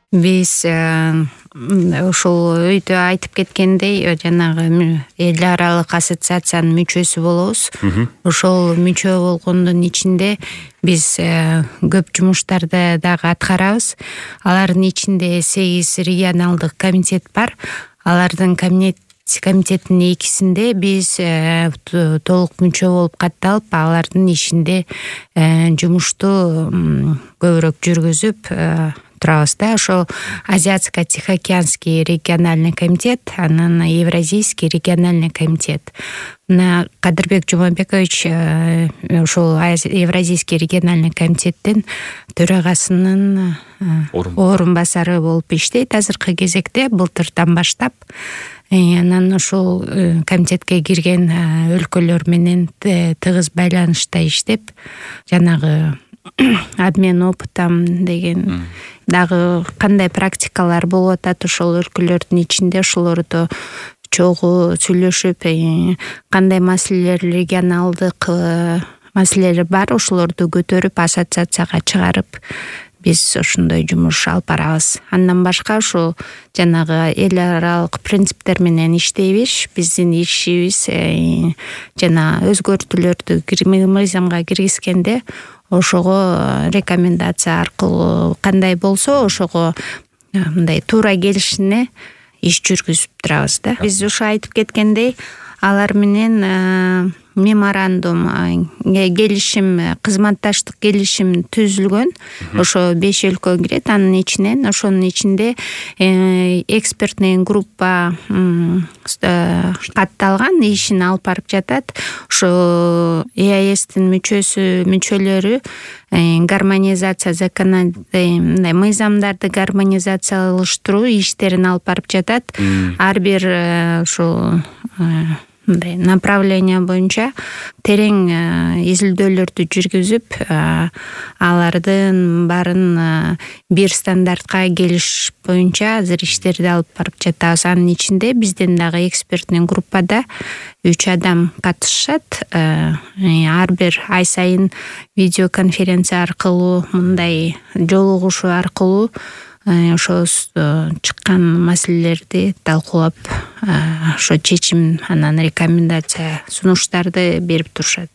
Биз ушул өйдө айтып кеткендей жанагы эл аралык ассоциациянын мүчөсү болобуз. Ошол мүчө болгондун ичинде биз көп жумуштарды дагы аткарабыз. Алардын ичинде 8 регионалдык комитет бар. Алардын комитеттин экисинде биз толук мүчө болуп катталып, алардын ишинде жумушту көбүрөөк жүргүзүп турабыз да. Ошо Азиатско-Тихоокеанский региональный комитет, анан Евразийский региональный комитет. Мына Кадырбек Жумабекович ошол Евразийский региональный комитеттин төрагасынын орун басары болуп иштейт азыркы кезекте, былтырдан баштап. Анан ошол комитетке кирген өлкөлөр менен тыгыз байланышта иштеп, жанагы обмен опытом деген дагы кандай практикалар болуп атат ошол өлкөлөрдүн ичинде, ошолорду чогуу сүйлөшүп, кандай маселелер, регионалдык маселелер бар, ошолорду көтөрүп ассоциацияга чыгарып биз ошондой жумуш алып барабыз. Андан башка ошо жанагы эл аралык принциптер менен иштейбиз. Биздин ишибиз жана өзгөртүүлөрдү мыйзамга киргизгенде ошого рекомендация аркылуу кандай болсо ошого мындай туура келишине иш жүргүзүп турабыз да. Биз ушу айтып кеткендей, алар менен меморандум, келишим, кызматташтык келишим түзүлгөн. Ошо 5 өлкө кирет, анын ичинен ошонун ичинде экспертный группа катталган, ишин алып барып жатат. Ошо ЕАЭСтин мүчөлөрү гармонизация мыйзамдарды гармонизациялаштыруу иштерин алып барып жатат. Ар бир ошо мындай направление боюнча терең изилдөөлөрдү жүргүзүп, алардын баарын бир стандартка келиш боюнча азыр иштерди алып барып жатабыз. Анын ичинде бизден дагы экспертный группада 3 адам катышат. Ар бир ай сайын видеоконференция аркылуу, мындай жолугушуу аркылуу ошо чыккан маселелерди талкуулап, ошо чечим, анан рекомендация, сунуштарды берип турушат.